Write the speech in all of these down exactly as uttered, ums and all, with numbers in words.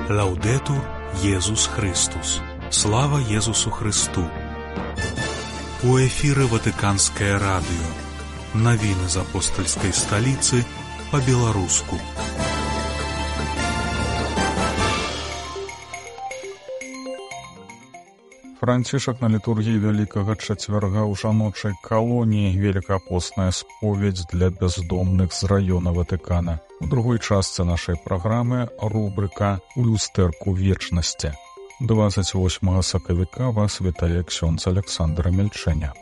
Лаўдэтур Езус Христус. Слава Езусу Христу. У эфіры Ватыканскае радыё. Навіны з апостальскай сталіцы па-беларуску. Францішак на літургіі Вялікага чацвярга ў жаночай калоніі, велікапостная споведь для бяздомных з раёна Ватыкана. У другой частцы нашай праграмы рубрыка «У люстэрку вечнасці». двадцать восьмага сакавіка вас вітае ксёндз Александра Мельчэня.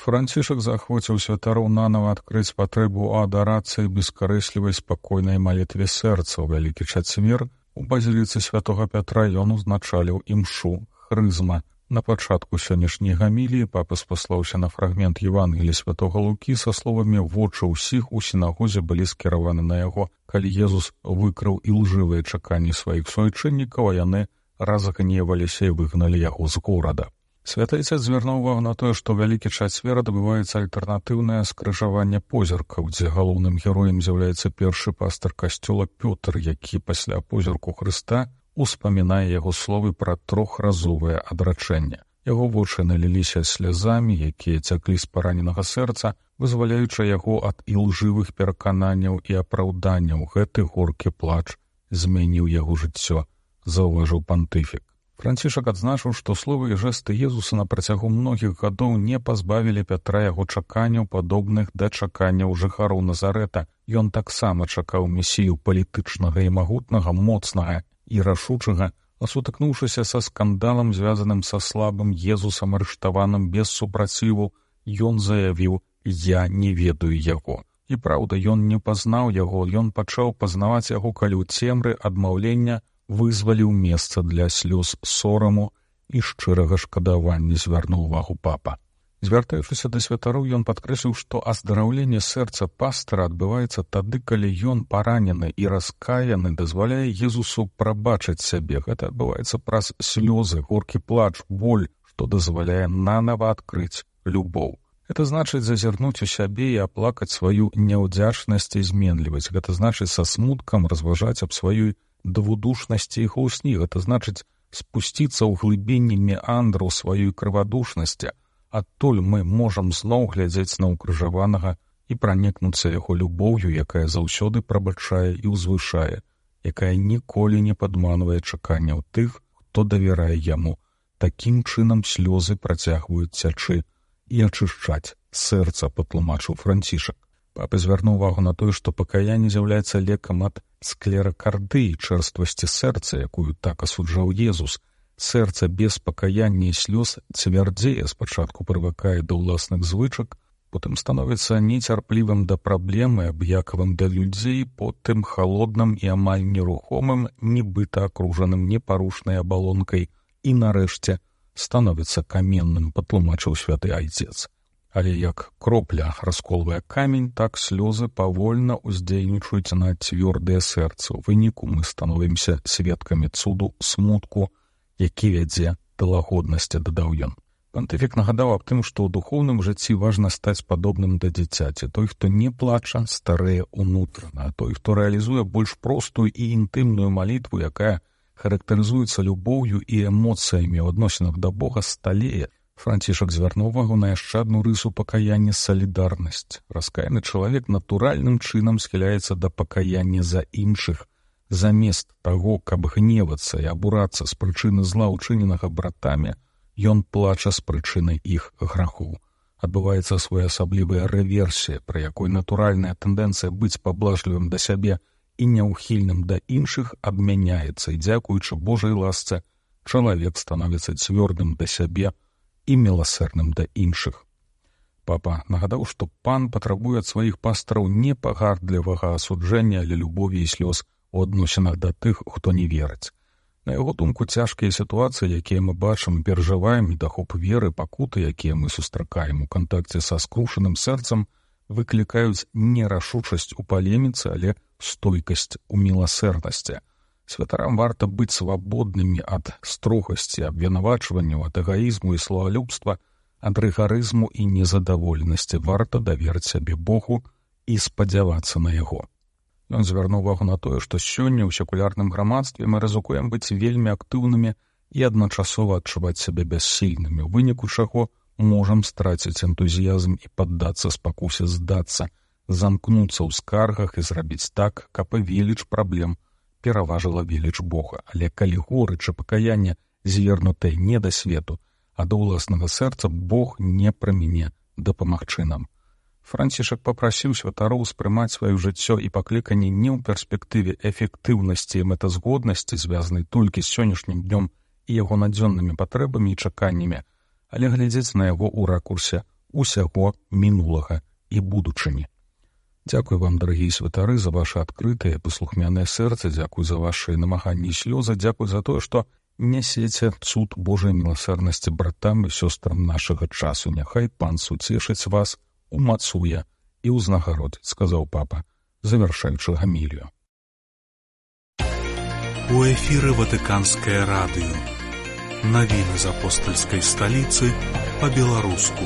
Францішак заахвоціў святароў нанава адкрыць патрэбу адарацыі бескарэслівай спакойнай малітве сэрца. У Вялікі чацвер у базіліцы святога Пятра ён узначаліў імшу хрызма. На пачатку сённяшняй гаміліі папа спаслаўся на фрагмент Евангелія святога Лукі са словамі «Вочы ўсіх у сінагозе былі скіраваны на яго, калі Езус выкрыў ілжывыя чаканні сваіх суайчыннікаў, а яны разгневаліся і выгналі яго з горада». Святы Отец звярнуў увагу на тое, што Вялікі чацвер адбываецца альтэрнатыўнае скрыжаванне позіркаў, дзе галоўным героем з'яўляецца першы пастар касцёла Пётр, які пасля позірку Хрыста успамінае яго словы пра трохразовае адрачэнне. Яго вочы наліліся слязамі, якія цяклі з параненага сэрца, вызваляючы яго ад ілжывых перакананняў і апраўданняў. Гэты горкі плач змяніў яго жыццё, заўважыў пантыфік. Францішак адзначыў, што словы і жэсты Езуса на працягу многіх гадоў не пазбавілі Пятра яго чаканняў, падобных да чаканняў жыхароў Назарэта. Ён таксама чакаў месію палітычнага і магутнага, моцнага і рашучага, а сутыкнуўшыся са скандалам, звязаным са слабым Езусам, арыштаваным без супраціву, ён заявіў: «Я не ведаю яго». І праўда, ён не пазнаў яго, ён пачаў пазнаваць яго, калі ў цемры адмаўлення вызваліў месца для слёз сораму і шчырага шкадавання, звярнуў увагу папа. Звяртаючыся да святароў, ён падкрэсліў, што аздараўленне сэрца пастара адбываецца тады, калі ён паранены і раскаяны дазваляе Езусу прабачыць сябе. Гэта адбываецца праз слёзы, горкі плач, боль, што дазваляе нанава адкрыць любоў. Гэта значыць зазірнуць у сябе і аплакаць сваю няўдзячнасць і зменлівасць. Гэта значыць са смуткам разважаць аб сваёй двудушнасці і хлусні. Гэта значыць спусціцца ў глыбіні меандраў сваёй крывадушнасці. Адтуль мы можам зноў глядзець на ўкрыжаванага і пранікнуцца яго любоўю, якая заўсёды прабачае і ўзвышае, якая ніколі не падманвае чаканняў тых, хто давярае яму. Такім чынам слёзы працягваюць цячы і ачышчаць сэрца, патлумачыў Францішак. Папа звярнуў увагу на тое, што пакаянне з'яўляецца лекам ад склеракардыі, чэрствасці сэрца, якую так асуджаў Езус. Сэрца без пакаяння і слёз цвярдзее, спачатку прывыкае да ўласных звычак, потым становіцца нецярплівым да праблемы, абыякавым да людзей, потым халодным і амаль нерухомым, нібыта акружаным непарушнай абалонкай і, нарэшце, становіцца каменным, патлумачыў святы Айцец. Але як кропля расколвае камень, так слёзы павольна ўздзейнічаюць на цвёрдае сэрца. У выніку мы становімся сведкамі цуду смутку, які вядзе да лагоднасці, дадаў ён. Пантыфік нагадаў аб тым, што ў духоўным жыцці важна стаць падобным да дзіцяці. Той, хто не плача, старэе ўнутрана, а той, хто рэалізуе больш простую і інтымную малітву, якая характарызуецца любоўю і эмоцыямі ў адносінах да Бога, сталее. Францішак звярнуў увагу на яшчэ адну рысу пакаяння — салідарнасць. Раскаяны чалавек натуральным чынам схіляецца да пакаяння за іншых. Замест таго, каб гневацца і абурацца з прычыны зла, учыненага братамі, ён плача з прычыны іх грахоў. Адбываецца своеасаблівая рэверсія, пры якой натуральная тэндэнцыя быць паблажлівым да сябе і няўхільным да іншых адмяняецца, і дзякуючы Божай ласцы чалавек становіцца цвёрдым да сябе і міласэрным да іншых. Папа нагадаў, што пан патрабуе ад сваіх пастараў не пагардлівага асуджэння, але любові і слёз у адносінах да тых, хто не верыць. На яго думку, цяжкія сітуацыі, якія мы бачым, перажываем, недахоп веры, пакуты, якія мы сустракаем у кантакце са скрушаным сэрцам, выклікаюць не рашучасць у палеміцы, але стойкасць у міласэрнасці. Святарам варта быць свабоднымі ад строгасці, абвінавачванняў, ад эгаізму і славалюбства, Ад рыгарызму і незадаволенасці варта даверыць сябе Богу і спадзявацца на яго. Ён звярнуў увагу на тое, што сёння ў секулярным грамадстве мы рызыкуем быць вельмі актыўнымі і адначасова адчуваць сябе бяссільнымі, у выніку чаго можам страціць энтузіязм і паддацца спакусе здацца, замкнуцца ў скаргах і зрабіць так, каб веліч праблем пераважыла веліч Бога. Але калі горыча пакаяння звернутае не да свету, а да ўласнага сэрца, Бог не праміне дапамагчы нам. Францішак папрасіў святароў успрымаць сваё жыццё і пакліканне не ў перспектыве эфектыўнасці і мэтазгоднасці, звязанай толькі з сённяшнім днём і яго надзённымі патрэбамі і чаканнямі, але глядзець на яго ў ракурсе усяго мінулага і будучыні. Дзякуй вам, дарагія святары, за ваше адкрытае, паслухмянае сэрца, дзякуй за вашы намаганні і слёзы, дзякуй за тое, што нясеце цуд Божай міласэрнасці братам і сёстрам нашага часу. Няхай Пан суцешыць вас, умацуе і ўзнагародзіць, сказаў папа, завяршаючы гамілію. У эфіры Ватыканскае радыё. Навіны з апостальскай сталіцы па-беларуску.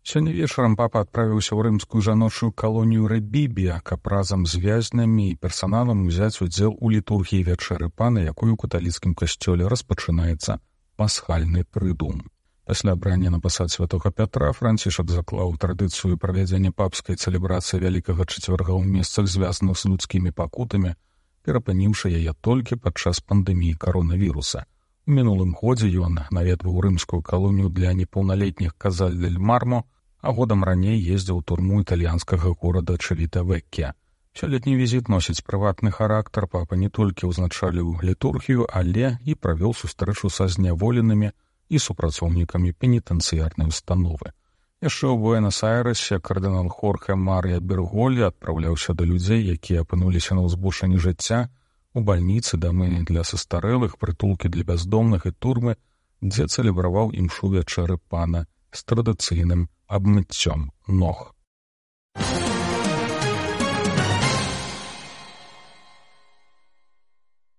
Сёння вечарам папа адправіўся ў рымскую жаночую калонію Рэбібія, каб разам з вязнямі і персаналам узяць удзел у літургіі вячэры Пана, якой у каталіцкім касцёле распачынаецца пасхальны трыдум. Пасля абрання на пасад святога Пятра Францішак заклаў традыцыю правядзення папскай цэлебрацыі Вялікага чацвярга ў месцах, звязаных з людскімі пакутамі, перапыніўшы яе толькі падчас пандэміі каронавіруса. У мінулым годзе ён наведваў рымскую калонію для непаўналетніх Казаль-дель-Мармо, а годам раней ездзіў у турму італьянскага горада Чавіта-Веккія. Сёлетні візіт носіць прыватны характар. Папа не толькі ўзначаліў літургію, але і правёў сустрэчу са зняволенымі і супрацоўнікамі пенітэнцыярнай установы. Яшчэ ў Буэнас-Айрэсе кардынал Хорхе Марія Берголі адпраўляўся да людзей, якія апынуліся на ўзбушчыні жыцця, у бальніцы, дамы для састарэлых, прытулкі для бяздомных і турмы, дзе цэлебраваў імшу вячэры Пана з традыцыйным абмыццём ног.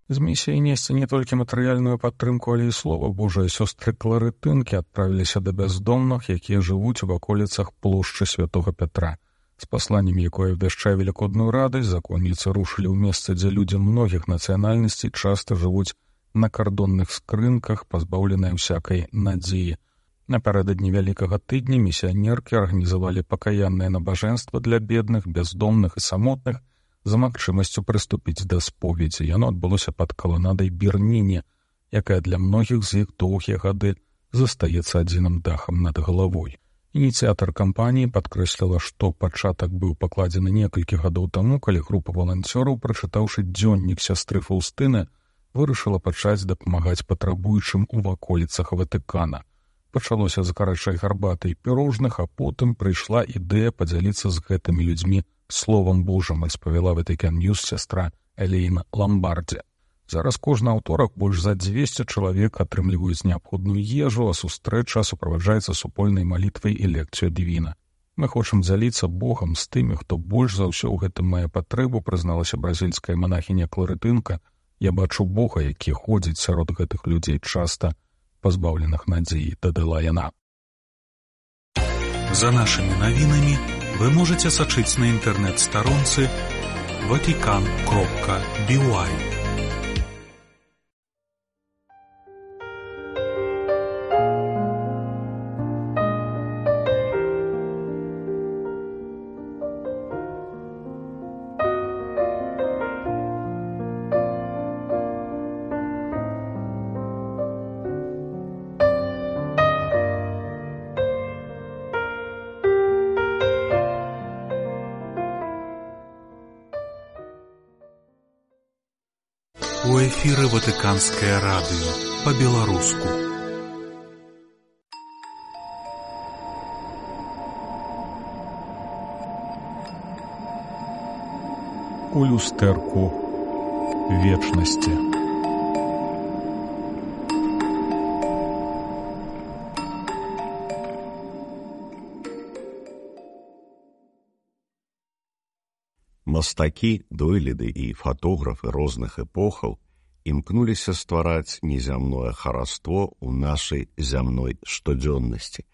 З місіяй несці не толькі матэрыяльную падтрымку, але і слова Божае сёстры кларытынкі адправіліся да бяздомных, якія жывуць у ваколіцах плошчы святога Пятра. З пасланнем, якое абвяшчае велікодную радасць, законніцы рушылі ў месца, дзе людзі многіх нацыянальнасцей часта жывуць на кардонных скрынках, пазбаўленыя ўсякай надзеі. Напярэдадні вялікага тыдня місіянеркі арганізавалі пакаяннае набажэнства для бедных, бяздомных і самотных за магчымасцю прыступіць да споведзі. Яно адбылося пад каланадай Берніне, якая для многіх з іх доўгія гады застаецца адзіным дахам над галавой. Ініцыятар кампаніі падкрэсліла, што пачатак быў пакладзены некалькі гадоў таму, калі група валанцёраў, прачытаўшы дзённік сястры Фаўстыны, вырашыла пачаць дапамагаць патрабуючым у ваколіцах Ватыкана. Пачалося з гарачай гарбаты і пірожных, а потым прыйшла ідэя падзяліцца з гэтымі людзьмі словам Божым, распавяла Ватыкан Ньюс сястра Элейна Ламбардзе. Зараз кожны аўторак больш за дзвесце чалавек атрымліваюць неабходную ежу, а сустрэча суправаджаецца супольнай малітвай і лекцыяй дывіна. Мы хочам дзяліцца Богам з тымі, хто больш за ўсё ў гэтым мае патрэбу, прызналася бразільская манахіня Кларытынка. Я бачу Бога, які ходзіць сярод гэтых людзей часта, пазбаўленых надзеі, дадала яна. За нашымі навінамі вы можаце сачыць на інтэрнэт-старонцы ватикан кропка би уай. У эфіры Ватыканскае радыё па-беларуску. У люстэрку вечнасці. Мастакі, дойліды і фатографы розных эпохаў імкнуліся ствараць незямное хараство ў нашай зямной штодзённасці.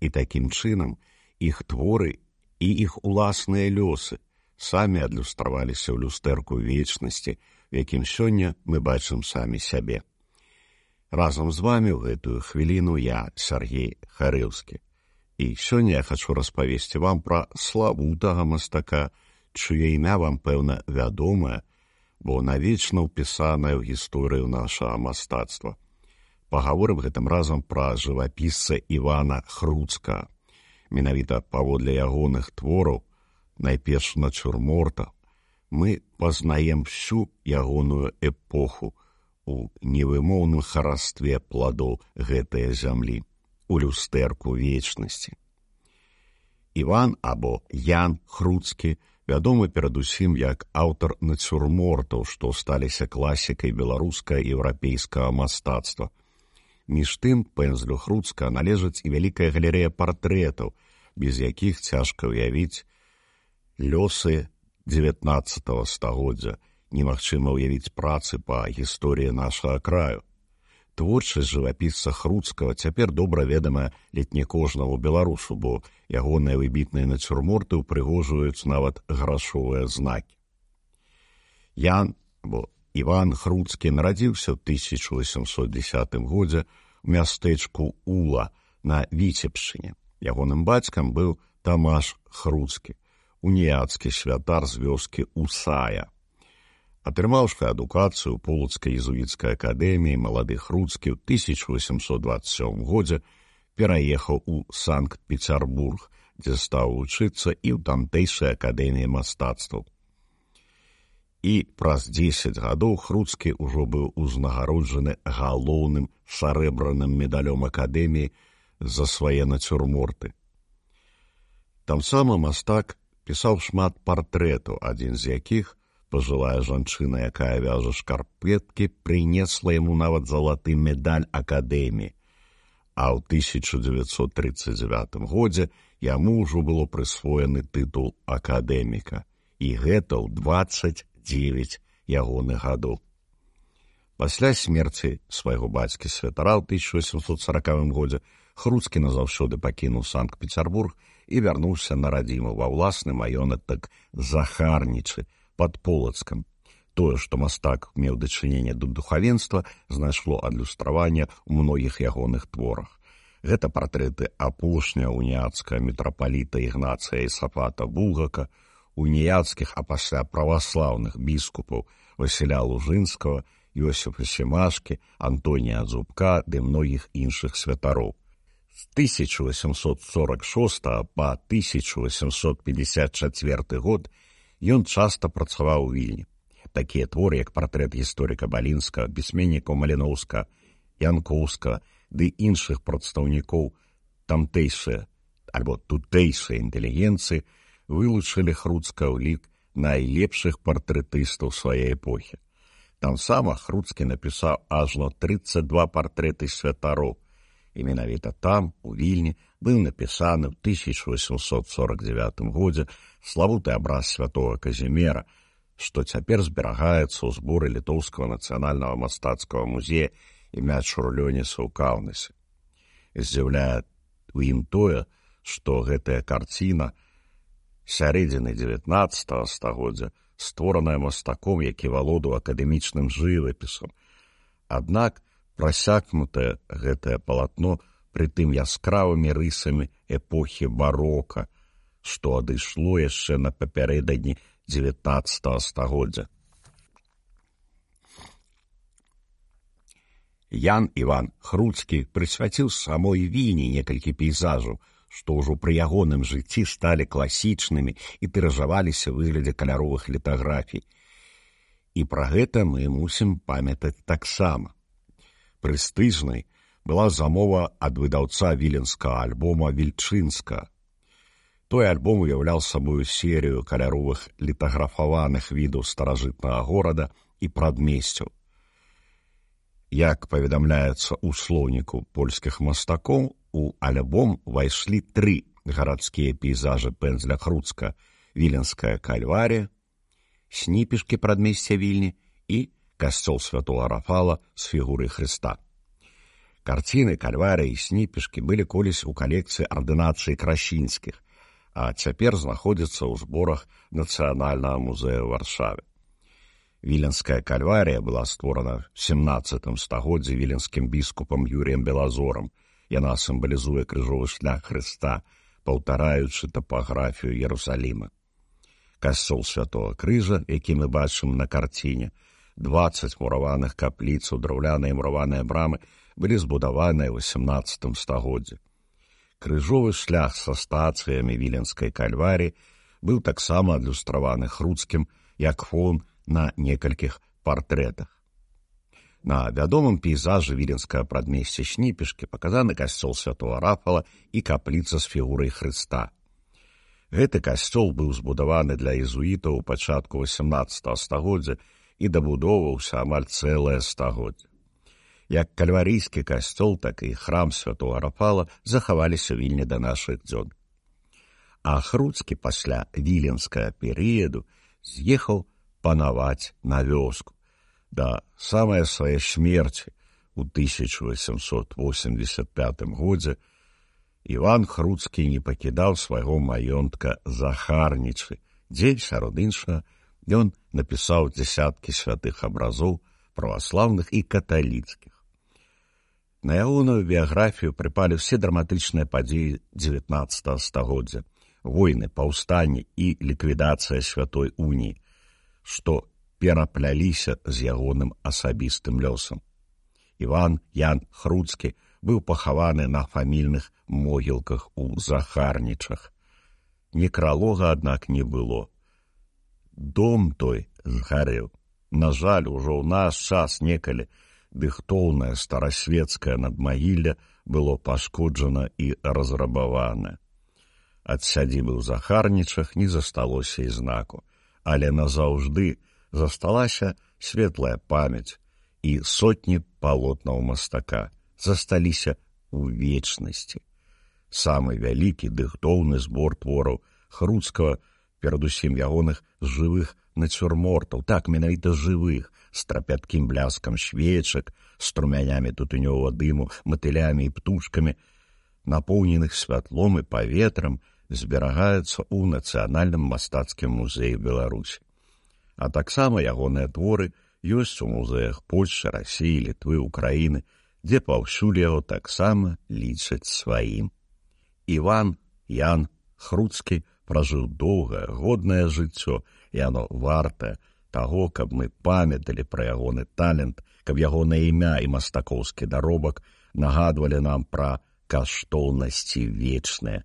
І такім чынам іх творы і іх уласныя лёсы самі адлюстраваліся ў люстэрку вечнасці, в якім сёння мы бачым самі сябе. Разам з вамі ў гэтую хвіліну я, Сергей Харэўскі. І сёння я хачу распавесці вам пра славутага мастака, чые імя вам, пэўна, вядомае, бо навечна ўпісанае ў гісторыю нашага мастацтва. Пагаворым гэтым разам пра жывапісца Івана Хруцкага. Менавіта паводле ягоных твораў, найперш нацюрморта, мы пазнаем всю ягоную эпоху у невымоўным харастве пладоў гэтае зямлі, у люстэрку вечнасці. Іван або Ян Хруцкі вядомы перадусім як аўтар нацюрмортаў, што сталіся класікай беларускага і еўрапейскага мастацтва. Між тым, пэндзлю Хруцкага належыць і вялікая галерэя партрэтаў, без якіх цяжка ўявіць лёсы дзевятнаццатага стагоддзя, немагчыма ўявіць працы па гісторыі нашага краю. Творчасць жывапісца Хруцкага цяпер добра ведамая ледзь не кожнаму беларусу, бо ягоныя выбітныя нацюрморты ўпрыгожваюць нават грашовыя знакі. Ян, або Іван Хруцкі, нарадзіўся ў тысяча васьмсот дзесятым годзе ў мястэчку Ула на Віцебшчыне. Ягоным бацькам быў Тамаш Хруцкі, уніяцкі святар з вёскі Усая. Атрымаўшы адукацыю ў Полацкай езуіцкай акадэміі, малады Хруцкі ў тысяча васьмсот дваццаць сёмым годзе пераехаў у Санкт-Пецярбург, дзе стаў вучыцца і ў тамтэйшай акадэміі мастацтваў. І праз дзесяць гадоў Хруцкі ўжо быў узнагароджаны галоўным сарэбраным медалём акадэміі за свае нацюрморты. Тамсама мастак пісаў шмат партрэтаў, адзін з якіх, пажылая жанчына, якая вяжа шкарпеткі, прынесла яму нават залаты медаль акадэміі. А ў тысяча дзевяцьсот трыццаць дзевятым годзе яму ўжо было прысвоены тытул акадэміка. І гэта ў дваццаць дзевяць ягоных гадоў. Пасля смерці свайго бацькі святара ў тысяча васьмсот саракавым годзе Хруцкі назаўсёды пакінуў Санкт-Пецярбург і вярнуўся на радзіму ва ўласны маёнатак Захарнічы пад Полацкам. Тое, што мастак меў дачыненне да духавенства, знайшло адлюстраванне ў многіх ягоных творах. Гэта партрэты апошняга уніяцкага мітрапаліта Ігнацыя Ісафата Булгака, уніяцкіх, а пасля праваслаўных біскупаў Васіля Лужынскага, Йосіфа Семашкі, Антонія Дзубка ды многіх іншых святароў. З тысяча васьмсот сорак шостага па тысяча васьмсот пятьдесят чацвёрты год ён часта працаваў у Вільні. Такія творы, як партрэт гісторыка Балінскага, пісьменнікаў Маліноўскага, Янкоўскага ды іншых прадстаўнікоў тамтэйшай альбо тутэйшай інтэлігенцыі, вылучылі Хруцкага ў лік найлепшых партрэтыстаў сваёй эпохі. Тамсама Хруцкі напісаў ажно трыццаць два партрэты святароў, і менавіта там, у Вільні, быў напісаны ў тысяча васьмсот сорак дзевятым годзе славуты абраз святога Казімера, што цяпер зберагаецца ў зборы Літоўскага нацыянальнага мастацкага музея імя Чурлёніса ў Каўнасе. Здзіўляе ў ім тое, што гэтая карціна сярэдзіны дзевятнаццатага стагоддзя створаная мастаком, які валодаў акадэмічным жывапісам. Аднак прасякнутае гэтае палатно прытым яскравымі рысамі эпохі барока, што адышло яшчэ на папярэдадні дзевятнаццатага стагоддзя. Ян Іван Хруцкі прысвяціў самой Вільні некалькі пейзажаў, што ўжо пры ягоным жыцці сталі класічнымі і тыражаваліся ў выглядзе каляровых літаграфій. І пра гэта мы мусім памятаць таксама. Прэстыжнай была замова ад выдаўца віленскага альбома Вільчынска. Той альбом уяўляў сабою серыю каляровых літаграфаваных відаў старажытнага горада і прадмесцяў. Як паведамляецца ў слоўніку польскіх мастакоў, у альбом увайшлі тры гарадскія пейзажы пэндзля Хруцкага: Віленская кальварія, Сніпішкі прадмесця Вільні і касцёл святого Рафала з фігурай Хрыста. Карціны, кальварыі і сніпішкі былі колісь у калекцыі ардынацыі красінскіх, а цяпер знаходзяцца ў зборах Нацыянальнага музея ў Варшаве. Віленская кальварія была створана ў сямнаццатым стагоддзі віленскім біскупам Юріем Белазорам. Яна сімвалізуе крыжовы шлях Хрыста, паўтараючы тапаграфію Іерусаліма. Касцёл святого Крыжа, які мы бачым на карціне, дваццаць мураваных капліц, драўляныя мураваныя брамы былі збудаваныя ў сямнаццатым стагоддзі. Крыжовы шлях са стацыямі віленскай кальваріі быў таксама адлюстраваны Хруцкім як фон на некалькіх партрэтах. На вядомым пейзажы віленскага прадмесця Сніпішкі паказаны касцёл святого Рафала і капліца з фігурай Хрыста. Гэты касцёл быў збудаваны для езуітаў у пачатку васямнаццатага стагоддзя і дабудоўваўся амаль цэлае стагоддзе. Як кальварійскі касцёл, так і храм святого Рафала захаваліся ў Вільні да нашых дзён. А Хруцкі пасля віленскага перыяду з'ехаў панаваць на вёску. Да самай сваёй смерці ў тысяча восемьсот восемьдесят пятым годзе Іван Хруцкі не пакідаў свайго маёнтка Захарнічы, дзе, сярод іншага, ён напісаў дзясяткі святых абразоў праваслаўных і каталіцкіх. На ягоную біяграфію прыпалі ўсе драматычныя падзеі дзевятнаццатага стагоддзя, войны, паўстанні і ліквідацыя святой уніі, што перапляліся з ягоным асабістым лёсам. Іван Ян Хруцкі быў пахаваны на фамільных могілках у Захарнічах. Некралога, аднак, не было. Дом той згарэў. На жаль, ужо ў наш час некалі дыхтоўнае старасвецкае надмагілле было пашкоджана і разрабавана. Ад сядзібы ў Захарнічах не засталося і знаку, але назаўжды засталася светлая памяць і сотні палотнаў мастака засталіся ў вечнасці. Самы вялікі дыхтоўны збор твораў Хруцкага, перадусім ягоных жывых нацюрмортаў, так, менавіта жывых, з трапяткім бляскам свечак, струмянямі тутынёвага дыму, матылямі і птушкамі, напоўненых святлом і паветрам, зберагаецца ў Нацыянальным мастацкім музеі Беларусі. А таксама ягоныя творы ёсць у музеях Польшчы, Расіі, Літвы, Украіны, дзе паўсюль яго таксама лічаць сваім. Іван Ян Хруцкі пражыў доўгае, годнае жыццё, і яно вартае таго, каб мы памяталі пра ягоны талент, каб ягонае імя і мастакоўскі даробак нагадвалі нам пра каштоўнасці вечныя.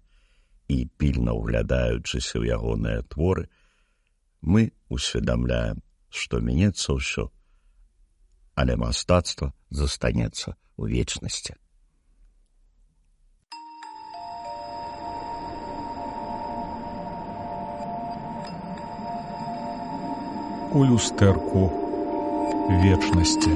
І пільна ўглядаючыся ў ягоныя творы, мы усведамляем, што менецца ўсё, але мастацтва застанецца ў вечнасці. У люстэрку вечнасці.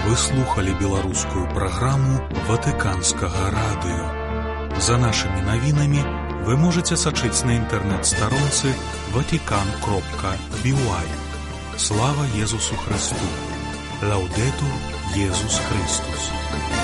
Вы слухали беларускую праграму Ватыканскага радыё. За нашымі навінамі вы можаце сачыць на інтэрнэт-старонцы ватикан кропка би уай. Слава Езусу Христу! Лаудетур Езус Христос!